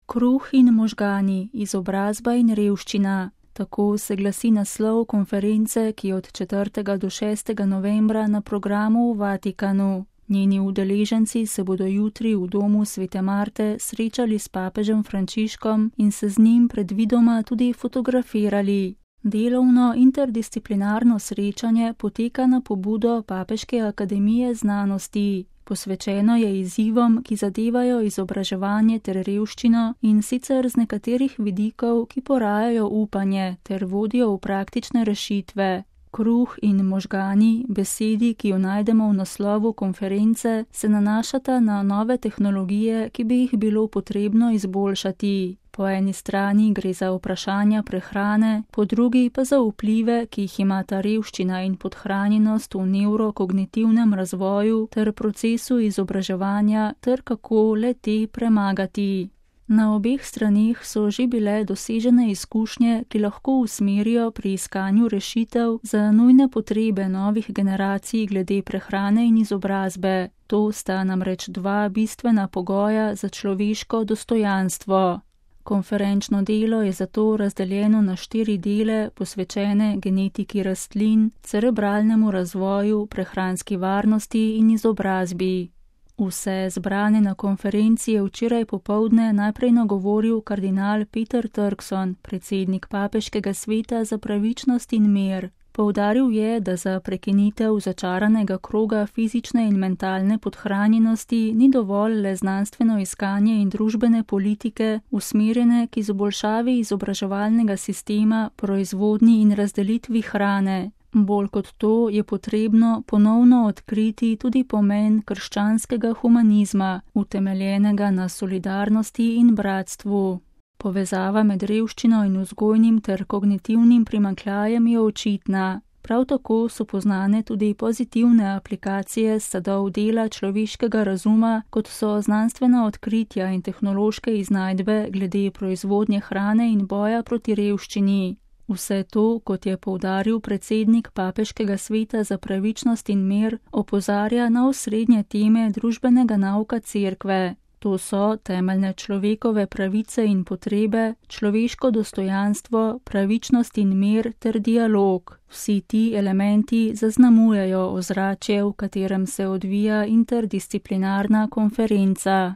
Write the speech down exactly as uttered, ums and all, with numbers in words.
Kruh in možgani, izobrazba in revščina. Tako se glasi naslov konference, ki je od četrtega do šestega novembra na programu v Vatikanu. Njeni udeleženci se bodo jutri v domu Svete Marte srečali s papežem Frančiškom in se z njim predvidoma tudi fotografirali. Delovno interdisciplinarno srečanje poteka na pobudo Papeške akademije znanosti. Posvečeno je izzivom, ki zadevajo izobraževanje ter revščino, in sicer z nekaterih vidikov, ki porajajo upanje ter vodijo v praktične rešitve. Kruh in možgani, besedi, ki jo najdemo v naslovu konference, se nanašata na nove tehnologije, ki bi jih bilo potrebno izboljšati. Po eni strani gre za vprašanja prehrane, po drugi pa za vplive, ki jih imata revščina in podhranjenost v nevrokognitivnem razvoju ter procesu izobraževanja ter kako le te premagati. Na obeh straneh so že bile dosežene izkušnje, ki lahko usmerijo pri iskanju rešitev za nujne potrebe novih generacij glede prehrane in izobrazbe. To sta namreč dva bistvena pogoja za človeško dostojanstvo. Konferenčno delo je zato razdeljeno na štiri dele, posvečene genetiki rastlin, cerebralnemu razvoju, prehranski varnosti in izobrazbi. Vse zbrane na konferenci je včeraj popoldne najprej nagovoril kardinal Peter Turkson, predsednik Papeškega sveta za pravičnost in mir. Poudaril je, da za prekinitev začaranega kroga fizične in mentalne podhranjenosti ni dovolj le znanstveno iskanje in družbene politike, usmerjene k izboljšavi izobraževalnega sistema, proizvodnji in razdelitvi hrane. Bolj kot to je potrebno ponovno odkriti tudi pomen krščanskega humanizma, utemeljenega na solidarnosti in bratstvu. Povezava med revščino in vzgojnim ter kognitivnim primanjkljajem je očitna. Prav tako so poznane tudi pozitivne aplikacije sadov dela človeškega razuma, kot so znanstvena odkritja in tehnološke iznajdbe glede proizvodnje hrane in boja proti revščini. Vse to, kot je poudaril predsednik Papeškega sveta za pravičnost in mir, opozarja na osrednje teme družbenega nauka Cerkve. To so temeljne človekove pravice in potrebe, človeško dostojanstvo, pravičnost in mir ter dialog. Vsi ti elementi zaznamujejo ozračje, v katerem se odvija interdisciplinarna konferenca.